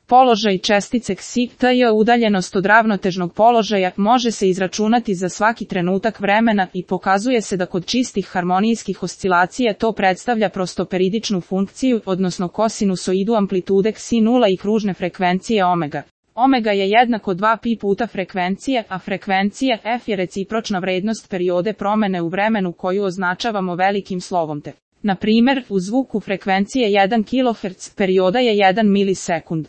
Položaj čestice ksi t udaljenost od ravnotežnog položaja može se izračunati za svaki trenutak vremena i pokazuje se da kod čistih harmonijskih oscilacija to predstavlja prostoperidičnu funkciju, odnosno kosinusoidu amplitude ksi nula i kružne frekvencije omega. Omega je jednako 2π puta frekvencije, a frekvencija f je recipročna vrednost periode promene u vremenu koju označavamo velikim slovom t. Na primjer, u zvuku frekvencije 1 kHz perioda je 1 milisekund.